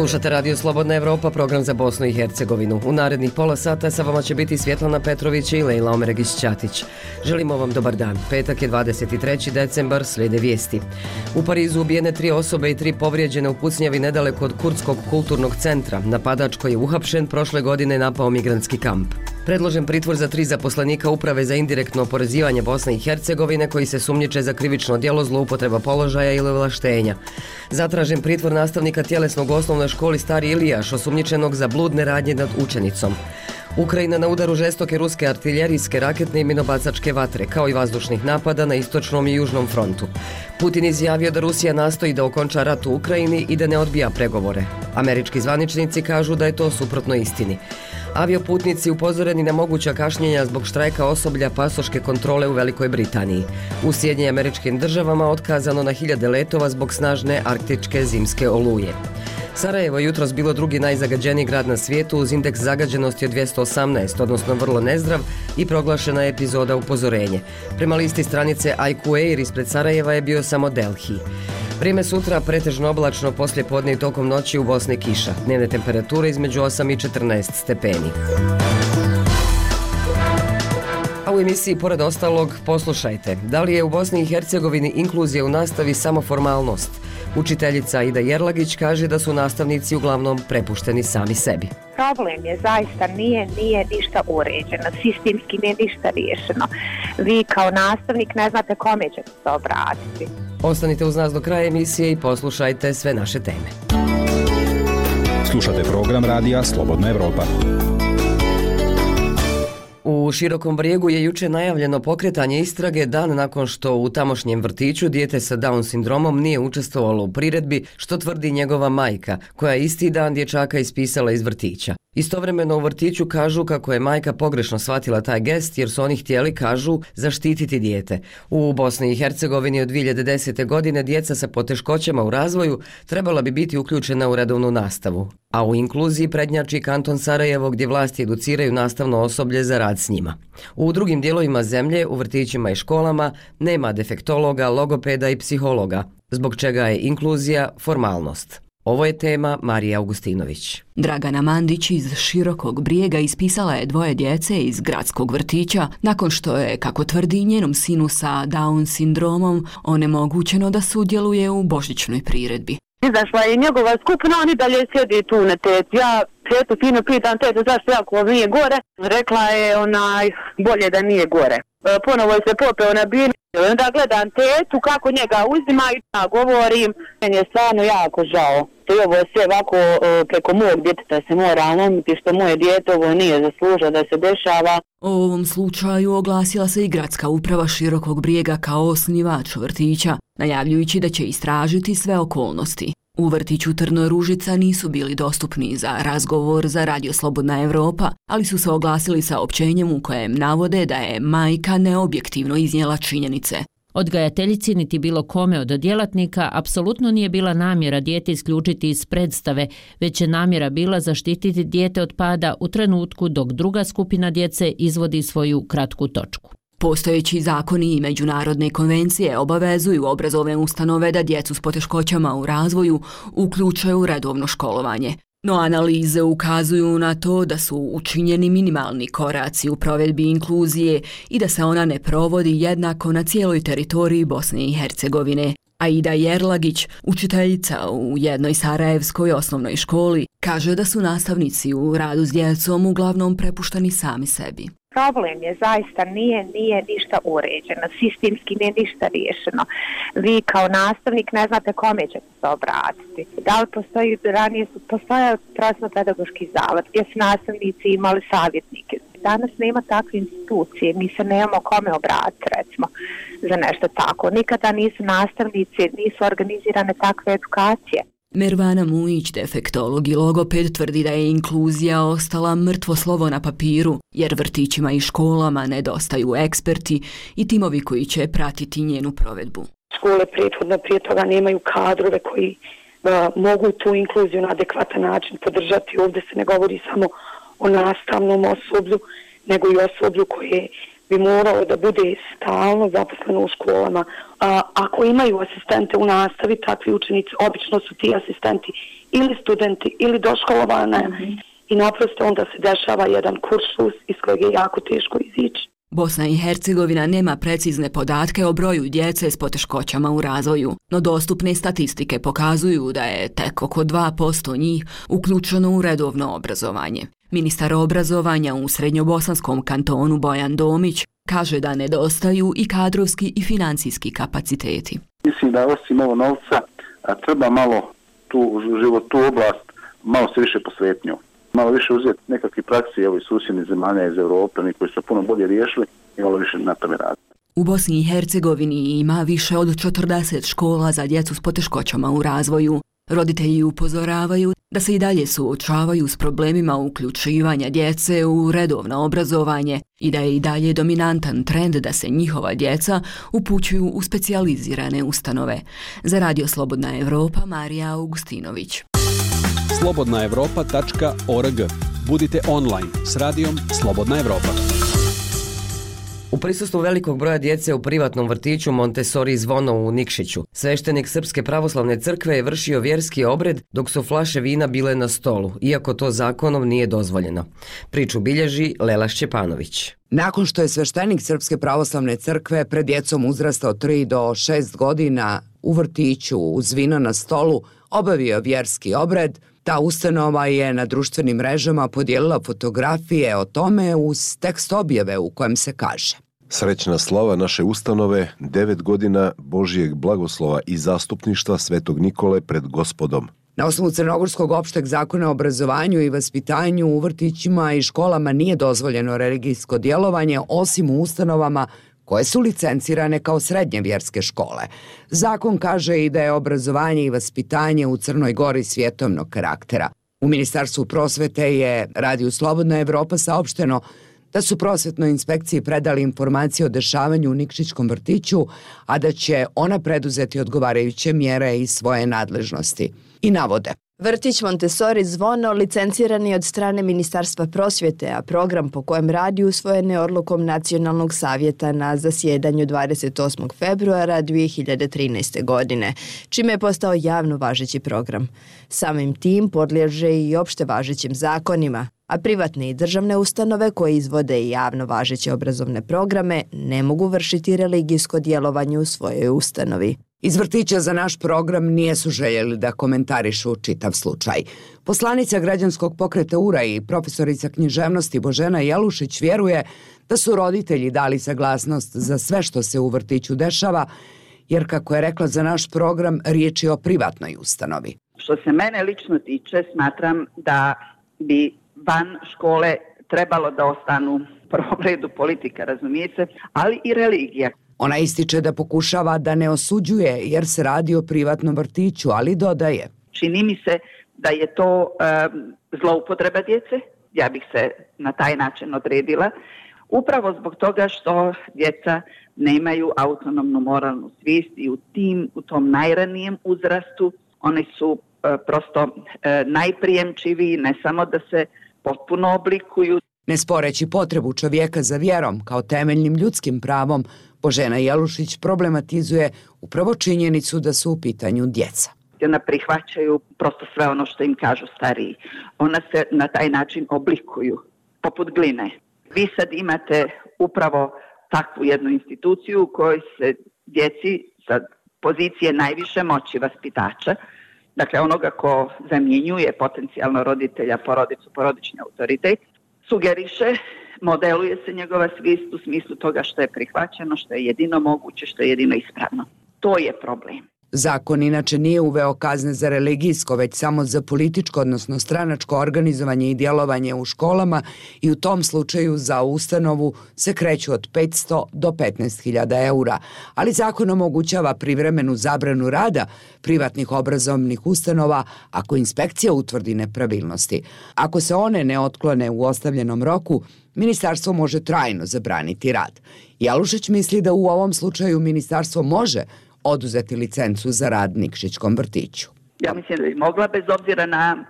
Slušate Radio Slobodna Evropa, program za Bosnu i Hercegovinu. U narednih pola sata sa vama će biti Svjetlana Petrović i Lejla Omeregić-Ćatić. Želimo vam dobar dan. Petak je 23. decembar, slijede vijesti. U Parizu ubijene 3 osobe i 3 povrijeđene u pucnjavi nedaleko od Kurdskog kulturnog centra. Napadač koji je uhapšen prošle godine napao migrantski kamp. Predložen pritvor za 3 zaposlenika Uprave za indirektno oporezivanje Bosne i Hercegovine koji se sumnjiče za krivično djelo zloupotreba položaja ili ovlaštenja. Zatražen pritvor nastavnika tjelesnog u osnovnoj školi Stari Ilijaš, osumnjičenog za bludne radnje nad učenicom. Ukrajina na udaru žestoke ruske artiljerijske, raketne i minobacačke vatre, kao i vazdušnih napada na istočnom i južnom frontu. Putin izjavio da Rusija nastoji da okonča rat u Ukrajini i da ne odbija pregovore. Američki zvaničnici kažu da je to suprotno istini. Avioputnici upozoreni na moguća kašnjenja zbog štrajka osoblja pasoške kontrole u Velikoj Britaniji. U Sjedinjenim Američkim Državama otkazano na 1000 letova zbog snažne arktičke zimske oluje. Sarajevo je jutros bilo drugi najzagađeniji grad na svijetu uz indeks zagađenosti od 218, odnosno vrlo nezdrav, i proglašena je epizoda upozorenje. Prema listi stranice IQ Air ispred Sarajeva je bio samo Delhi. Vrijeme sutra pretežno oblačno, poslije podne i tokom noći u Bosni kiša. Dnevne temperature između 8 i 14 stepeni. A u emisiji pored ostalog poslušajte, da li je u Bosni i Hercegovini inkluzija u nastavi samo formalnost? Učiteljica Aida Jerlagić kaže da su nastavnici uglavnom prepušteni sami sebi. Problem je zaista nije ništa uređeno, sistemski nije ništa riješeno. Vi kao nastavnik ne znate kome ćete se obratiti. Ostanite uz nas do kraja emisije i poslušajte sve naše teme. Slušate program radija Slobodna Evropa. U Širokom Brijegu je jučer najavljeno pokretanje istrage dan nakon što u tamošnjem vrtiću dijete sa Down sindromom nije učestvovalo u priredbi, što tvrdi njegova majka, koja je isti dan dječaka ispisala iz vrtića. Istovremeno u vrtiću kažu kako je majka pogrešno shvatila taj gest jer su oni htjeli, kažu, zaštititi dijete. U Bosni i Hercegovini od 2010. godine djeca sa poteškoćama u razvoju trebala bi biti uključena u redovnu nastavu, a u inkluziji prednjači kanton Sarajevo gdje vlasti educiraju nastavno osoblje za rad s njima. U drugim dijelovima zemlje, u vrtićima i školama, nema defektologa, logopeda i psihologa, zbog čega je inkluzija formalnost. Ovo je tema Marije Augustinović. Dragana Mandić iz Širokog Brijega ispisala je 2 djece iz gradskog vrtića nakon što je, kako tvrdi, njenom sinu sa Down sindromom onemogućeno da sudjeluje u božićnoj priredbi. Izašla je njegova skupina, oni dalje sjedi tu na tetu. Ja tetu fino pitam tetu zašto jako nije gore. Rekla je bolje da nije gore. Ponovo je se popeo na binu. Onda gledam tetu kako njega uzima i ja govorim. Meni je stvarno jako žao. I ovo sve ovako preko mog djeteta se mora lomiti što moje dijete ovo nije zaslužilo da se dešava. O ovom slučaju oglasila se i gradska uprava Širokog Brijega kao osnivač vrtića, najavljujući da će istražiti sve okolnosti. U vrtiću Trno Ružica nisu bili dostupni za razgovor za Radio Slobodna Evropa, ali su se oglasili saopćenjem u kojem navode da je majka neobjektivno iznijela činjenice. Odgajateljici niti bilo kome od djelatnika apsolutno nije bila namjera dijete isključiti iz predstave, već je namjera bila zaštititi dijete od pada u trenutku dok druga skupina djece izvodi svoju kratku točku. Postojeći zakoni i međunarodne konvencije obavezuju obrazovne ustanove da djecu s poteškoćama u razvoju uključuju u redovno školovanje. No analize ukazuju na to da su učinjeni minimalni koraci u provedbi inkluzije i da se ona ne provodi jednako na cijeloj teritoriji Bosne i Hercegovine. Aida Jerlagić, učiteljica u jednoj sarajevskoj osnovnoj školi, kaže da su nastavnici u radu s djecom uglavnom prepušteni sami sebi. Problem je zaista nije ništa uređeno, sistemski nije ništa riješeno. Vi kao nastavnik ne znate kome ćete se obratiti. Da li postoji, ranije su postojao prosvetno-pedagoški zavod gdje su nastavnici imali savjetnike. Danas nema takve institucije, mi se nemamo kome obratiti, recimo, za nešto tako. Nikada nisu nastavnici, nisu organizirane takve edukacije. Mervana Mujić, defektolog i logoped, tvrdi da je inkluzija ostala mrtvo slovo na papiru, jer vrtićima i školama nedostaju eksperti i timovi koji će pratiti njenu provedbu. Škole prethodno prije toga nemaju kadrove koji mogu tu inkluziju na adekvatan način podržati. Ovdje se ne govori samo o nastavnom osoblju, nego i osoblju koje bi moralo da bude stalno zaposleno u školama. Ako imaju asistente u nastavi, takvi učenici, obično su ti asistenti ili studenti ili doškolovane i naprosto onda se dešava jedan kuršlus iz kojeg je jako teško izići. Bosna i Hercegovina nema precizne podatke o broju djece s poteškoćama u razvoju, no dostupne statistike pokazuju da je tek oko 2% njih uključeno u redovno obrazovanje. Ministar obrazovanja u Srednjobosanskom kantonu Bojan Domić kaže da nedostaju i kadrovski i financijski kapaciteti. Mislim da osim ovo novca treba malo tu oblast malo se više posvetnju. Malo više uzeti nekakve praksi iz susjednih zemalja iz Europe, oni koji su puno bolje riješili i malo više na tome raditi. U Bosni i Hercegovini ima više od 40 škola za djecu s poteškoćama u razvoju. Roditelji upozoravaju da se i dalje suočavaju s problemima uključivanja djece u redovno obrazovanje i da je i dalje dominantan trend da se njihova djeca upućuju u specijalizirane ustanove. Za Radio Slobodna Evropa, Marija Augustinović. slobodnaevropa.org. Budite online s radijom Slobodna Evropa. U prisustvu velikog broja djece u privatnom vrtiću Montessori Zvono u Nikšiću, sveštenik Srpske pravoslavne crkve je vršio vjerski obred dok su flaše vina bile na stolu, iako to zakonom nije dozvoljeno. Priču bilježi Lela Šćepanović. Nakon što je sveštenik Srpske pravoslavne crkve pred djecom uzrasta od 3 do 6 godina u vrtiću uz vino na stolu obavio vjerski obred, ta ustanova je na društvenim mrežama podijelila fotografije o tome uz tekst objave u kojem se kaže: Srećna slava naše ustanove, 9 godina Božijeg blagoslova i zastupništva Svetog Nikole pred Gospodom. Na osnovu Crnogorskog opšteg zakona o obrazovanju i vaspitanju u vrtićima i školama nije dozvoljeno religijsko djelovanje osim u ustanovama koje su licencirane kao srednje vjerske škole. Zakon kaže i da je obrazovanje i vaspitanje u Crnoj Gori svjetovnog karaktera. U Ministarstvu prosvete je Radiju Slobodna Evropa saopšteno da su prosvetnoj inspekciji predali informacije o dešavanju u Nikšićkom vrtiću, a da će ona preduzeti odgovarajuće mjere iz svoje nadležnosti. I navode: Vrtić Montessori Zvono licenciran je od strane Ministarstva prosvjete, a program po kojem radi usvojen je odlukom Nacionalnog savjeta na zasjedanju 28. februara 2013. godine, čime je postao javno važeći program. Samim tim podliježe i opšte važećim zakonima, a privatne i državne ustanove koje izvode i javno važeće obrazovne programe ne mogu vršiti religijsko djelovanje u svojoj ustanovi. Iz vrtića za naš program nijesu željeli da komentarišu čitav slučaj. Poslanica građanskog pokreta URA i profesorica književnosti Božena Jelušić vjeruje da su roditelji dali saglasnost za sve što se u vrtiću dešava, jer kako je rekla za naš program, riječ je o privatnoj ustanovi. Što se mene lično tiče, smatram da bi van škole trebalo da ostanu u prvom redu politika, razumijete, ali i religija. Ona ističe da pokušava da ne osuđuje jer se radi o privatnom vrtiću, ali dodaje: Čini mi se da je to zloupotreba djece, ja bih se na taj način odredila, upravo zbog toga što djeca nemaju autonomnu moralnu svijest i u tom najranijem uzrastu oni su prosto najprijemčiviji, ne samo da se potpuno oblikuju. Ne sporeći potrebu čovjeka za vjerom kao temeljnim ljudskim pravom, Božena Jelušić problematizuje upravo činjenicu da su u pitanju djeca. Ona prihvaćaju prosto sve ono što im kažu stariji. Ona se na taj način oblikuju, poput gline. Vi sad imate upravo takvu jednu instituciju u kojoj se djeci sa pozicije najviše moći vaspitača, dakle onoga ko zamjenjuje potencijalno roditelja, porodicu, porodični autoritet, sugeriše, modeluje se njegova svijest u smislu toga što je prihvaćeno, što je jedino moguće, što je jedino ispravno. To je problem. Zakon inače nije uveo kazne za religijsko, već samo za političko, odnosno stranačko organizovanje i djelovanje u školama i u tom slučaju za ustanovu se kreću od 500 do 15.000 eura. Ali zakon omogućava privremenu zabranu rada privatnih obrazovnih ustanova ako inspekcija utvrdi nepravilnosti. Ako se one ne otklone u ostavljenom roku, ministarstvo može trajno zabraniti rad. Jelušić misli da u ovom slučaju ministarstvo može oduzeti licencu za rad Nikšićkom vrtiću. Ja mislim da bi mogla bez obzira na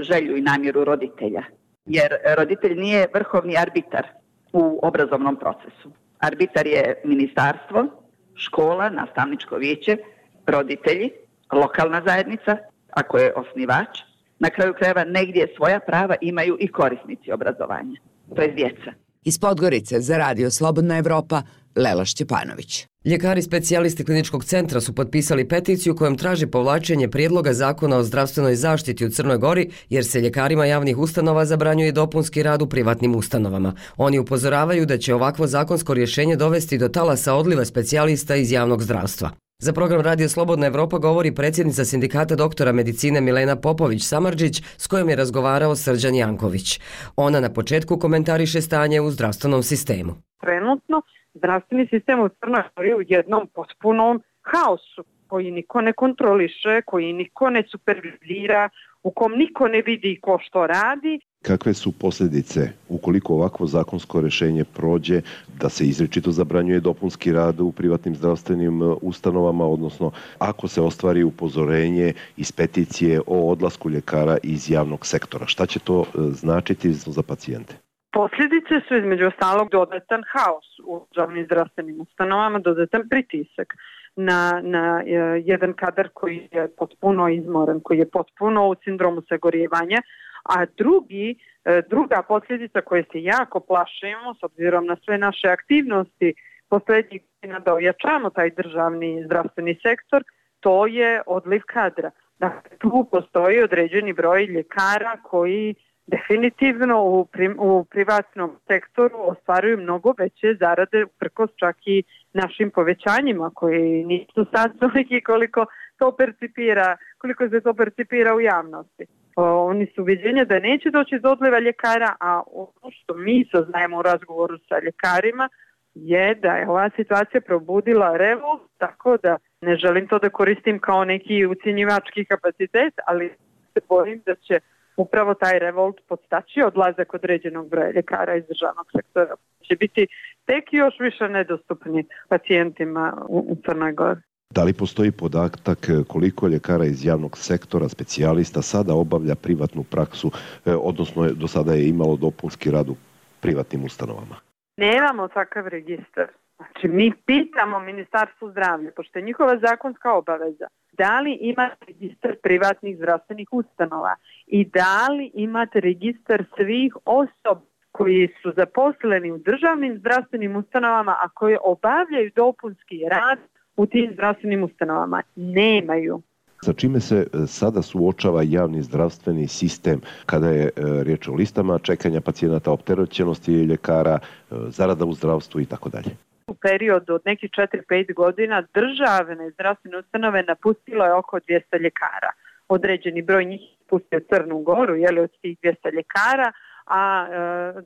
želju i namjeru roditelja. Jer roditelj nije vrhovni arbitar. u obrazovnom procesu. Arbitar je ministarstvo, škola, nastavničko vijeće, roditelji, lokalna zajednica, ako je osnivač. Na kraju krajeva negdje svoja prava imaju i korisnici obrazovanja, to je djeca. Iz Podgorice za Radio Slobodna Evropa, Lela Šćepanović. Ljekari specijalisti kliničkog centra su potpisali peticiju kojom traži povlačenje prijedloga zakona o zdravstvenoj zaštiti u Crnoj Gori jer se ljekarima javnih ustanova zabranjuje dopunski rad u privatnim ustanovama. Oni upozoravaju da će ovakvo zakonsko rješenje dovesti do talasa odliva specijalista iz javnog zdravstva. Za program Radio Slobodna Evropa govori predsjednica sindikata doktora medicine Milena Popović-Samardžić s kojom je razgovarao Srđan Janković. Ona na početku komentariše stanje u zdravstvenom sistemu. Trenutno zdravstveni sistem u Crnoj Gori je u jednom potpunom haosu koji niko ne kontroliše, koji niko ne supervizira, u kom niko ne vidi ko što radi. Kakve su posljedice ukoliko ovakvo zakonsko rješenje prođe da se izričito zabranjuje dopunski rad u privatnim zdravstvenim ustanovama, odnosno ako se ostvari upozorenje iz peticije o odlasku ljekara iz javnog sektora? Šta će to značiti za pacijente? Posljedice su između ostalog dodatan haos u državnim zdravstvenim ustanovama, dodatan pritisak na jedan kadar koji je potpuno izmoren, koji je potpuno u sindromu sagorijevanja, a druga posljedica koje se jako plašimo s obzirom na sve naše aktivnosti posljednjih godina da ojačamo taj državni zdravstveni sektor, to je odliv kadra. Dakle, tu postoji određeni broj ljekara koji definitivno u privatnom sektoru ostvaruju mnogo veće zarade uprkos čak i našim povećanjima koji nisu sad toliki koliko se to percipira u javnosti. Oni su uviđenja da neće doći do odliva ljekara, a ono što mi saznajemo u razgovoru sa ljekarima je da je ova situacija probudila revolt, tako da ne želim to da koristim kao neki ucjenjivački kapacitet, ali se bojim da će upravo taj revolt podstaći odlazak određenog broja ljekara iz državnog sektora. Će biti tek još više nedostupni pacijentima u Crnoj Gori. Da li postoji podatak koliko ljekara iz javnog sektora, specijalista, sada obavlja privatnu praksu, odnosno do sada je imalo dopunski rad u privatnim ustanovama? Nemamo takav registar. Znači, mi pitamo Ministarstvo zdravlja, pošto je njihova zakonska obaveza, da li imate registar privatnih zdravstvenih ustanova i da li imate registar svih osoba koji su zaposleni u državnim zdravstvenim ustanovama, a koji obavljaju dopunski rad u tim zdravstvenim ustanovama. Nemaju. Sa čime se sada suočava javni zdravstveni sistem kada je riječ o listama čekanja pacijenata, opterećenosti ljekara, zarada u zdravstvu i tako dalje? U periodu od nekih 4-5 godina državne zdravstvene ustanove napustilo je oko 200 ljekara. Određeni broj njih je pustio Crnu Goru, od tih 200 ljekara, a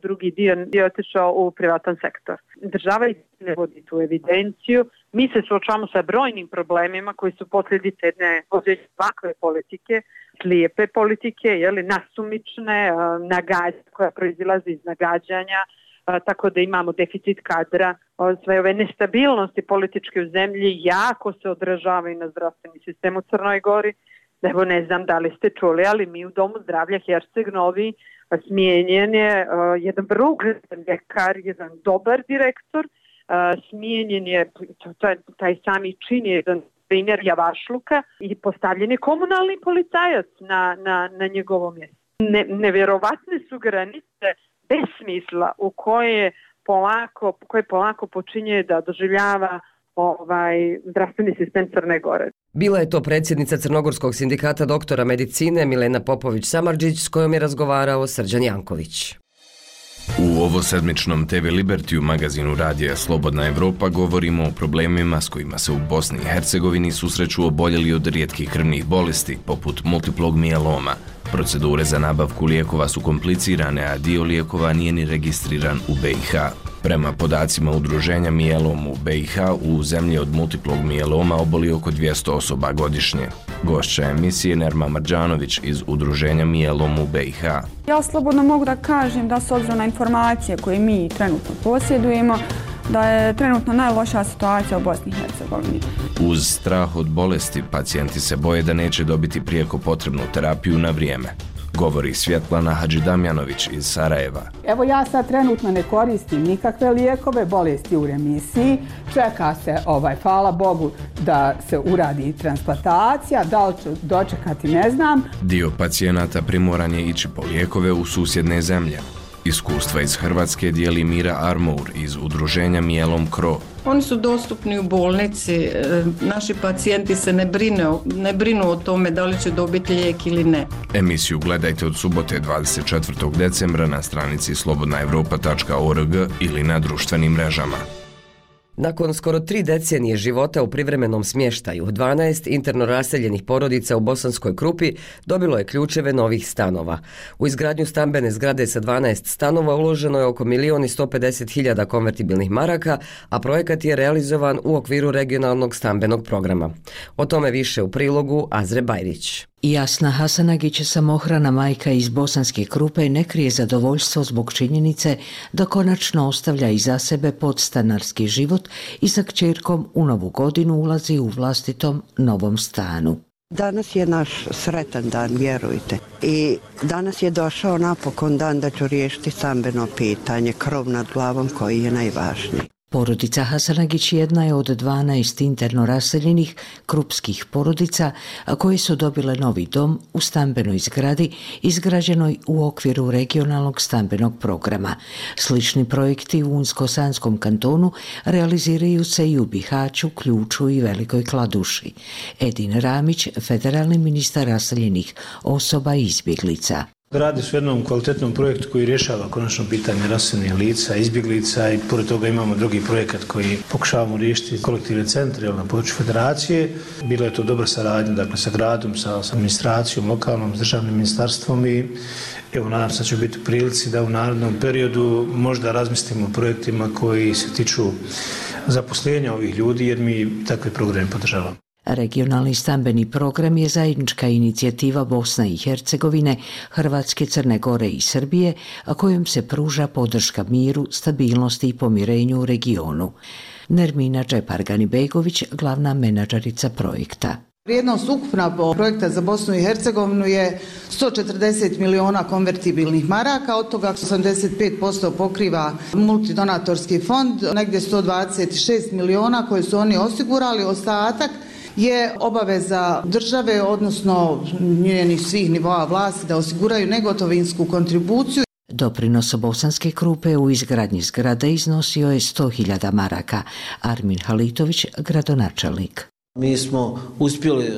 drugi dio je otišao u privatan sektor. Država ne vodi tu evidenciju. Mi se suočavamo sa brojnim problemima koji su posljedice jedne ovakve politike, slijepe politike, nasumične, koja proizilazi iz nagađanja, tako da imamo deficit kadra. Sve ove nestabilnosti političke u zemlji jako se odražavaju na zdravstveni sistem u Crnoj Gori. Evo, ne znam da li ste čuli, ali mi u Domu zdravlja Herceg Novi smijenjen je jedan vrlo ugledan ljekar, jedan dobar direktor, smijenjen je taj sami čin, jedan primjer javašluka i postavljen je komunalni policajac na njegovo mjesto. Nevjerovatne su granice besmisla u koje polako počinje da doživljava zdravstveni sistem Crne Gore. Bila je to predsjednica Crnogorskog sindikata doktora medicine Milena Popović-Samardžić s kojom je razgovarao Srđan Janković. U ovosedmičnom TV Liberty magazinu Radija Slobodna Evropa govorimo o problemima s kojima se u Bosni i Hercegovini susreću oboljeli od rijetkih krvnih bolesti, poput multiplog mijeloma. Procedure za nabavku lijekova su komplicirane, a dio lijekova nije ni registriran u BiH. Prema podacima udruženja Mijelom u BiH, u zemlji od multiplog mijeloma oboli oko 200 osoba godišnje. Gošća emisije Nerma Marđanović iz udruženja Mijelom u BiH. Ja slobodno mogu da kažem da s obzirom na informacije koje mi trenutno posjedujemo, da je trenutno najlošija situacija u Bosni i Hercegovini. Uz strah od bolesti, pacijenti se boje da neće dobiti prijeko potrebnu terapiju na vrijeme. govori Svjetlana Hadžidamjanović iz Sarajeva. Evo ja sad trenutno ne koristim nikakve lijekove, bolest je u remisiji, čeka se, hvala Bogu, da se uradi transplantacija, da li ću dočekati ne znam. Dio pacijenata primoran je ići po lijekove u susjedne zemlje. Iskustva iz Hrvatske dijeli Mira Armour iz udruženja Mijelom Kro. Oni su dostupni u bolnici, naši pacijenti se ne brinu o tome da li će dobiti lijek ili ne. Emisiju gledajte od subote 24. decembra na stranici slobodnaevropa.org ili na društvenim mrežama. Nakon skoro 3 decenije života u privremenom smještaju, 12 interno raseljenih porodica u Bosanskoj Krupi dobilo je ključeve novih stanova. U izgradnju stambene zgrade sa 12 stanova uloženo je oko 1.150.000 konvertibilnih maraka, a projekat je realizovan u okviru regionalnog stambenog programa. O tome više u prilogu Azre Bajrić. Jasna Hasanagić, samohrana majka iz Bosanske Krupe, ne krije zadovoljstvo zbog činjenice da konačno ostavlja iza sebe podstanarski život i sa kćerkom u novu godinu ulazi u vlastitom novom stanu. Danas je naš sretan dan, vjerujte. I danas je došao napokon dan da ću riješiti stambeno pitanje, krov nad glavom koji je najvažniji. Porodica Hasanagić jedna je od 12 interno raseljenih krupskih porodica koje su dobile novi dom u stambenoj zgradi izgrađenoj u okviru regionalnog stambenog programa. Slični projekti u Unsko-Sanskom kantonu realiziraju se i u Bihaću, Ključu i Velikoj Kladuši. Edin Ramić, federalni ministar raseljenih osoba i izbjeglica. Radi se o jednom kvalitetnom projektu koji rješava konačno pitanje raseljenih lica, izbjeglica i pored toga imamo drugi projekat koji pokušavamo riješiti kolektivne centre na području federacije. Bila je to dobra saradnja sa gradom, sa administracijom, lokalnom, s državnim ministarstvom i evo nadam se da će biti u prilici da u narednom periodu možda razmislimo o projektima koji se tiču zaposlenja ovih ljudi jer mi takve programe podržavamo. Regionalni stambeni program je zajednička inicijativa Bosne i Hercegovine, Hrvatske, Crne Gore i Srbije, a kojom se pruža podrška miru, stabilnosti i pomirenju u regionu. Nermina Džepargani-Begović, glavna menadžerica projekta. Vrijednost ukupna projekta za Bosnu i Hercegovinu je 140 miliona konvertibilnih maraka, od toga 85% pokriva multidonatorski fond, negdje 126 miliona koje su oni osigurali, ostatak je obaveza države, odnosno njenih svih nivoa vlasti da osiguraju negotovinsku kontribuciju. Doprinos Bosanske Krupe u izgradnji zgrade iznosio je 100.000 maraka. Armin Halitović, gradonačelnik. Mi smo uspjeli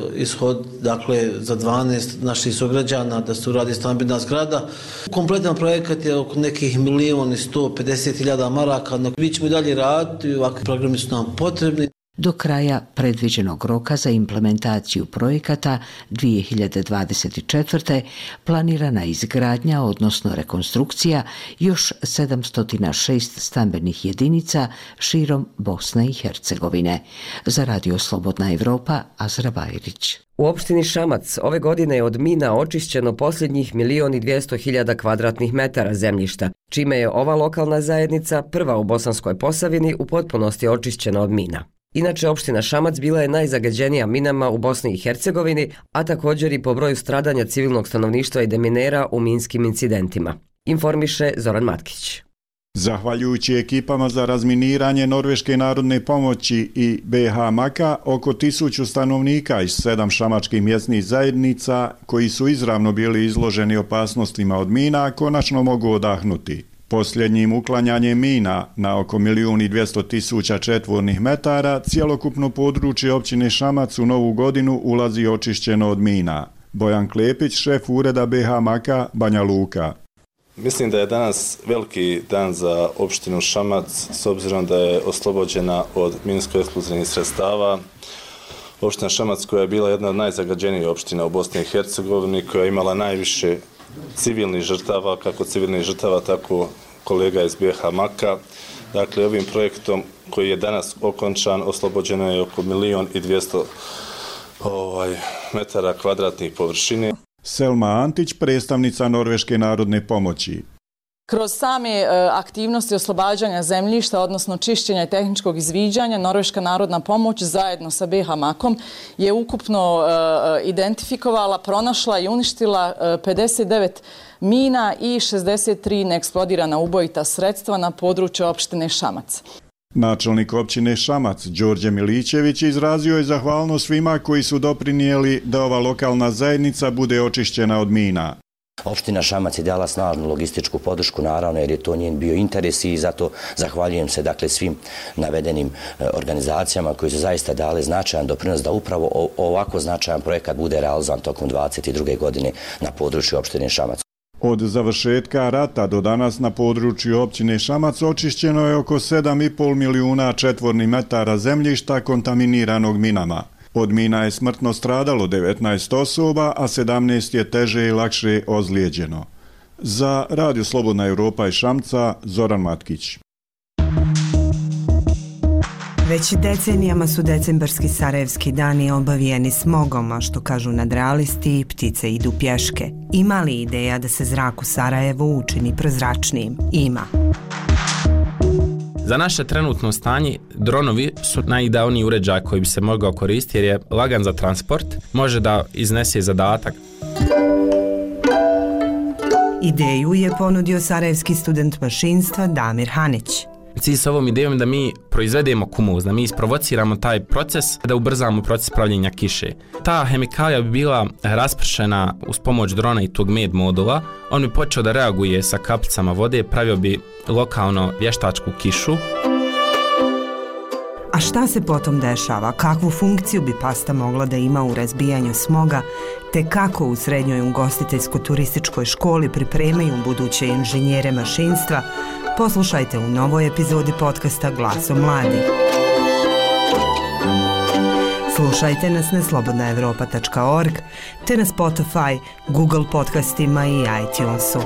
za 12 naših sugrađana da se uradi stambena zgrada. Kompletan projekat je oko nekih 1.150.000 maraka. Mi ćemo i dalje raditi, ovakvi programi su nam potrebni. Do kraja predviđenog roka za implementaciju projekata 2024. planirana izgradnja, odnosno rekonstrukcija, još 706 stambenih jedinica širom Bosne i Hercegovine. Za Radio Slobodna Evropa, Azra Bajrić. U opštini Šamac ove godine je od mina očišćeno posljednjih 1.200.000 kvadratnih metara zemljišta, čime je ova lokalna zajednica prva u Bosanskoj Posavini u potpunosti očišćena od mina. Inače, opština Šamac bila je najzagađenija minama u Bosni i Hercegovini, a također i po broju stradanja civilnog stanovništva i deminera u minskim incidentima. Informiše Zoran Matkić. Zahvaljujući ekipama za razminiranje Norveške narodne pomoći i BH Maka, oko 1000 stanovnika iz 7 šamačkih mjesnih zajednica, koji su izravno bili izloženi opasnostima od mina, konačno mogu odahnuti. Posljednjim uklanjanjem mina na oko 1.200.000 četvornih metara, cjelokupno područje općine Šamac u novu godinu ulazi očišćeno od mina. Bojan Klepić, šef ureda BH Maka, Banja Luka. Mislim da je danas veliki dan za opštinu Šamac, s obzirom da je oslobođena od minsko-eksplozivnih sredstava. Opština Šamac koja je bila jedna od najzagađenijih opština u Bosni i Hercegovini, koja je imala najviše civilnih žrtava, kako civilnih žrtava, tako kolega iz BH Maka. Dakle, ovim projektom koji je danas okončan, oslobođeno je oko 1.200.000 metara kvadratnih površine. Selma Antić, predstavnica Norveške narodne pomoći. Kroz same aktivnosti oslobađanja zemljišta, odnosno čišćenja i tehničkog izviđanja, Norveška narodna pomoć zajedno sa BiH Makom je ukupno identifikovala, pronašla i uništila 59 mina i 63 neeksplodirana ubojita sredstva na području opštine Šamac. Načelnik općine Šamac, Đorđe Milićević, izrazio je zahvalnost svima koji su doprinijeli da ova lokalna zajednica bude očišćena od mina. Opština Šamac je dala snažnu logističku podršku, naravno, jer je to njen bio interes i zato zahvaljujem se svim navedenim organizacijama koji su zaista dali značajan doprinos da upravo ovako značajan projekat bude realizovan tokom 2022. godine na području opštine Šamac. Od završetka rata do danas na području općine Šamac očišćeno je oko 7,5 milijuna četvornih metara zemljišta kontaminiranog minama. Od mina je smrtno stradalo 19 osoba, a 17 je teže i lakše ozlijeđeno. Za Radio Slobodna Evropa iz Šamca, Zoran Matkić. Već decenijama su decembarski sarajevski dani obavijeni smogom, a što kažu nadrealisti, ptice idu pješke. Ima li ideja da se zrak u Sarajevu učini prozračnijim? Ima. Za naše trenutno stanje, dronovi su najidealniji uređaj koji bi se mogao koristiti jer je lagan za transport, može da iznese zadatak. Ideju je ponudio sarajevski student mašinstva Damir Hanić. Cilj s ovom idejom je da mi proizvedemo kumuz, da mi isprovociramo taj proces, da ubrzamo proces pravljenja kiše. Ta hemikalija bi bila raspršena uz pomoć drona i tog med modula. On bi počeo da reaguje sa kapicama vode, pravio bi lokalno vještačku kišu. A šta se potom dešava? Kakvu funkciju bi pasta mogla da ima u razbijanju smoga, te kako u srednjoj ugostiteljsko-turističkoj školi pripremaju buduće inženjere mašinstva? Poslušajte u novoj epizodi podcasta Glaso mladih. Slušajte nas na slobodnaevropa.org te na Spotify, Google podcastima i iTunesu.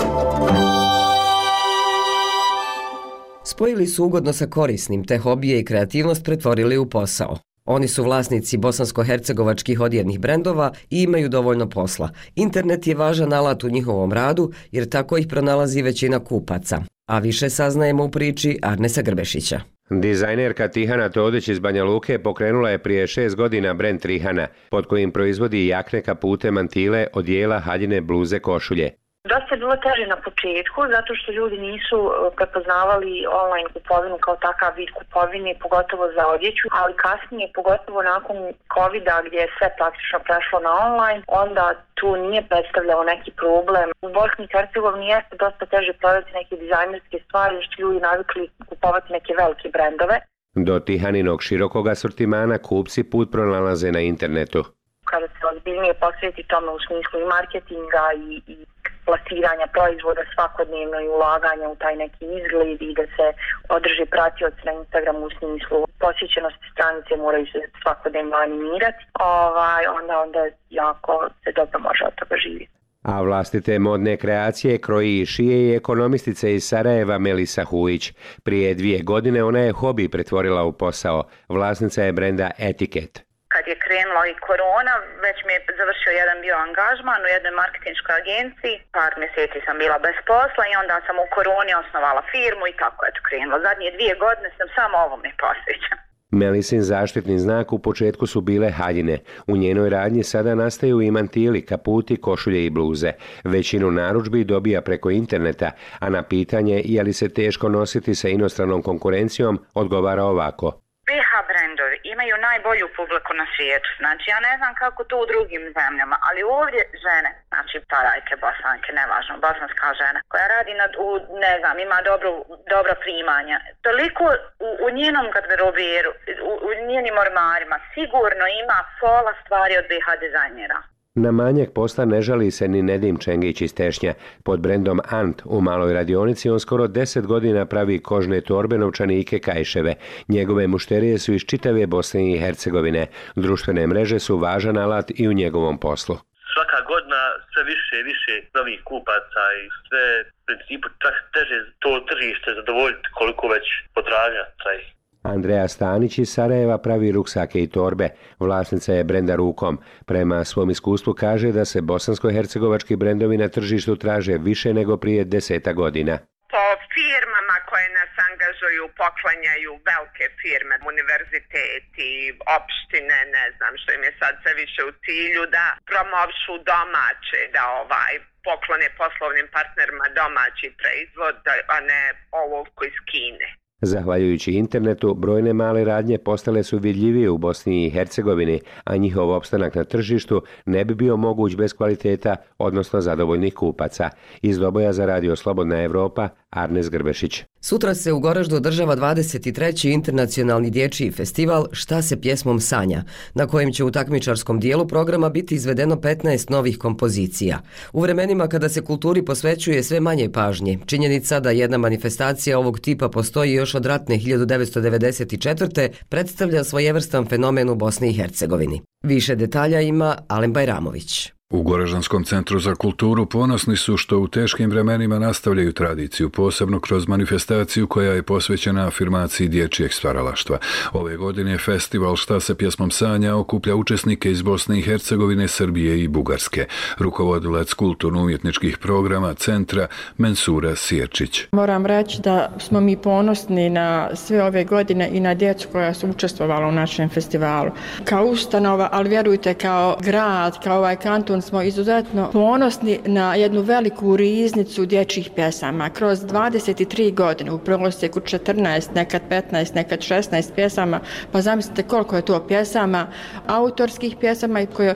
Spojili su ugodno sa korisnim, te hobije i kreativnost pretvorili u posao. Oni su vlasnici bosansko-hercegovačkih odjevnih brendova i imaju dovoljno posla. Internet je važan alat u njihovom radu jer tako ih pronalazi većina kupaca. A više saznajemo u priči Arnesa Grbešića. Dizajnerka Tihana Todić iz Banja Luke pokrenula je prije 6 godina brend Trihana, pod kojim proizvodi jakne, kapute, mantile, odijela, haljine, bluze, košulje. Dosta je bilo teže na početku, zato što ljudi nisu prepoznavali online kupovinu kao takav vid kupovine, pogotovo za odjeću, ali kasnije, pogotovo nakon COVID-a gdje je sve praktično prešlo na online, onda tu nije predstavljao neki problem. U Bosni i Hercegovini jeste dosta teže prodati neke dizajnerske stvari, što ljudi navikli kupovati neke velike brendove. Do Tihaninog širokog asortimana kupci put pronalaze na internetu. Kada se ozbiljnije posveti tome u smislu i marketinga i plasiranja proizvoda svakodnevno i ulaganja u taj neki izgled i da se održi pratioci na Instagramu u smislu posjećenosti stranice moraju se svakodnevno animirati, onda jako se dobro može od toga živjeti. A vlastite modne kreacije kroji i šije i ekonomistica iz Sarajeva Melisa Hujić. Prije 2 godine ona je hobi pretvorila u posao. Vlasnica je brenda Etiket. Kad je krenula i korona, već mi je završio jedan bio angažman u jednoj marketinškoj agenciji. Par mjeseci sam bila bez posla i onda sam u koroni osnovala firmu i tako je to krenula. Zadnje 2 godine sam samo ovome posvećena. Melisin zaštitni znak u početku su bile haljine. U njenoj radnji sada nastaju i mantili, kaputi, košulje i bluze. Većinu narudžbi dobija preko interneta, a na pitanje je li se teško nositi sa inostranom konkurencijom odgovara ovako. BiH brendovi imaju najbolju publiku na svijetu. Znači, ja ne znam kako to u drugim zemljama, ali ovdje žene, znači parajke, bosanke, nevažno, bosanska žena, koja radi ima dobra primanja. Toliko u njenom garderoberu, u njenim ormarima, sigurno ima pola stvari od BiH dizajnera. Na manjak posla ne žali se ni Nedim Čengić iz Tešnja. Pod brendom Ant u maloj radionici on skoro 10 godina pravi kožne torbe, novčanike, kajševe. Njegove mušterije su iz čitave Bosne i Hercegovine. Društvene mreže su važan alat i u njegovom poslu. Svaka godina sve više i više novih kupaca i sve u principu čak teže to tržište zadovoljiti koliko već potražnja traji. Andreja Stanić iz Sarajeva pravi ruksake i torbe. Vlasnica je brenda Rukom. Prema svom iskustvu kaže da se bosansko-hercegovački brendovi na tržištu traže više nego prije 10 godina. po firmama koje nas angažuju, poklanjaju velike firme, univerziteti, opštine, ne znam što im je sad sve više u cilju, da promovišu domaće, da poklone poslovnim partnerima domaći proizvod, a ne olovku iz Kine. Zahvaljujući internetu, brojne male radnje postale su vidljivije u Bosni i Hercegovini, a njihov opstanak na tržištu ne bi bio moguć bez kvaliteta, odnosno zadovoljnih kupaca. Iz Doboja za Radio Slobodna Evropa, Arnes Grbešić. Sutra se u Goraždu održava 23. internacionalni dječji festival Šta se pjesmom sanja, na kojem će u takmičarskom dijelu programa biti izvedeno 15 novih kompozicija. U vremenima kada se kulturi posvećuje sve manje pažnje, činjenica da jedna manifestacija ovog tipa postoji još od ratne 1994. predstavlja svojevrstan fenomen u Bosni i Hercegovini. Više detalja ima Alen Bajramović. U Goraždanskom centru za kulturu ponosni su što u teškim vremenima nastavljaju tradiciju, posebno kroz manifestaciju koja je posvećena afirmaciji dječjeg stvaralaštva. Ove godine festival Šta se pjesmom sanja okuplja učesnike iz Bosne i Hercegovine, Srbije i Bugarske. Rukovodilac kulturno-umjetničkih programa centra Mensura Sjerčić. Moram reći da smo mi ponosni na sve ove godine i na djecu koja su učestvovala u našem festivalu. Kao ustanova, ali vjerujte kao grad, kao ovaj kanton, smo izuzetno ponosni na jednu veliku riznicu dječjih pjesama. Kroz 23 godine, u prosjeku 14, nekad 15, nekad 16 pjesama, pa zamislite koliko je to pjesama, autorskih pjesama i koje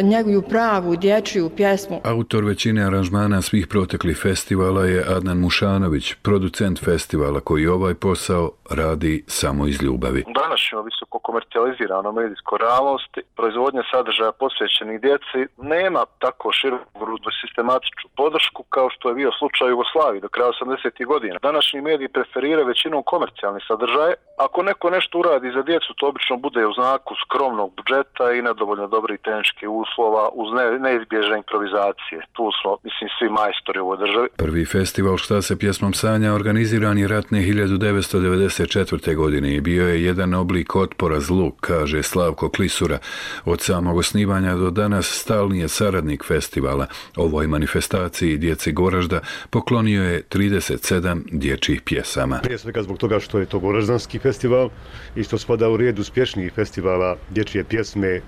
njeguju pravu dječju pjesmu. Autor većine aranžmana svih proteklih festivala je Adnan Mušanović, producent festivala koji ovaj posao radi samo iz ljubavi. U današnjoj visoko komercijalizirano medijskoj realnosti proizvodnja sadržaja posvećenih djeci nema tako široku sistematičnu podršku kao što je bio slučaj u Jugoslaviji do kraja 80. godina. Današnji mediji preferiraju većinom komercijalni sadržaje. Ako neko nešto uradi za djecu, to obično bude u znaku skromnog budžeta i nedovoljno dobrih tehničkih uslova uz neizbježne improvizacije. Tu smo, svi majstori u ovoj državi. Prvi festival Šta se pjesmom sanja organiziran je ratne 1994. godine i bio je jedan oblik otpora zlu, kaže Slavko Klisura. Od samog osnivanja do danas stalni je saradnik festivala. Ovoj manifestaciji djeci Goražda poklonio je 37 dječjih pjesama. Prije svega zbog toga što je to goraždanski festival i što spada u red uspješnijih festivala dječje pjesme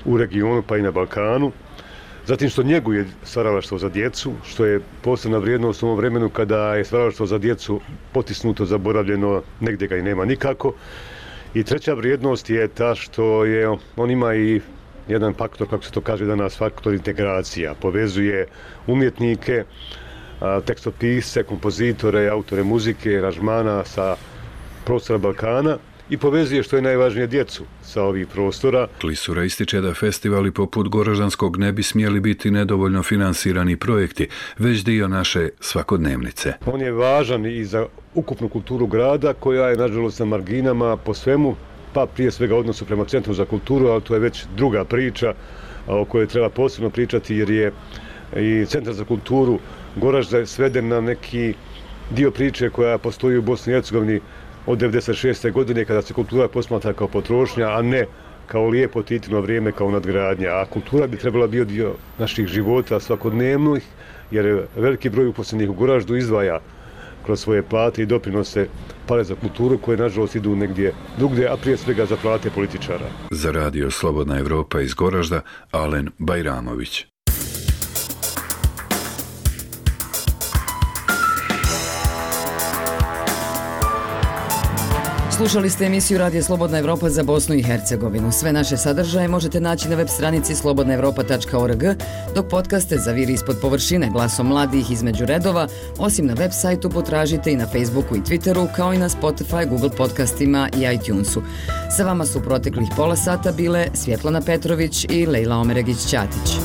u regionu pa i na Balkanu. Zatim što njeguje stvaralaštvo za djecu, što je posebna vrijednost u ovom vremenu kada je stvaralaštvo za djecu potisnuto, zaboravljeno, negdje ga i nema nikako. I treća vrijednost je ta što on ima i jedan faktor, kako se to kaže danas, faktor integracija. Povezuje umjetnike, tekstopisce, kompozitore, autore muzike, aranžmana sa prostora Balkana i povezuje, što je najvažnije, djecu sa ovih prostora. Klisura ističe da festivali poput Goraždanskog ne bi smjeli biti nedovoljno finansirani projekti, već dio naše svakodnevnice. On je važan i za ukupnu kulturu grada koja je nažalost na marginama po svemu, pa prije svega odnosu prema Centru za kulturu, ali to je već druga priča o kojoj treba posebno pričati jer je i Centar za kulturu Goražda sveden na neki dio priče koja postoji u Bosni i Hercegovini od 1996. godine kada se kultura posmatra kao potrošnja, a ne kao lijepo titino vrijeme, kao nadgradnja. A kultura bi trebala biti dio naših života svakodnevnih, jer veliki broj uposlenih u Goraždu izdvaja kroz svoje plate i doprinose pare za kulturu koje nažalost idu negdje drugdje, a prije svega za plate političara. Za Radio Slobodna Evropa iz Goražda, Alen Bajramović. Slušali ste emisiju Radija Slobodna Evropa za Bosnu i Hercegovinu. Sve naše sadržaje možete naći na web stranici slobodnaevropa.org, dok podcaste za Vir ispod površine, glasom mladih između redova, osim na web sajtu potražite i na Facebooku i Twitteru, kao i na Spotify, Google podcastima i iTunesu. Sa vama su proteklih pola sata bile Svjetlana Petrović i Lejla Omeregić-Ćatić.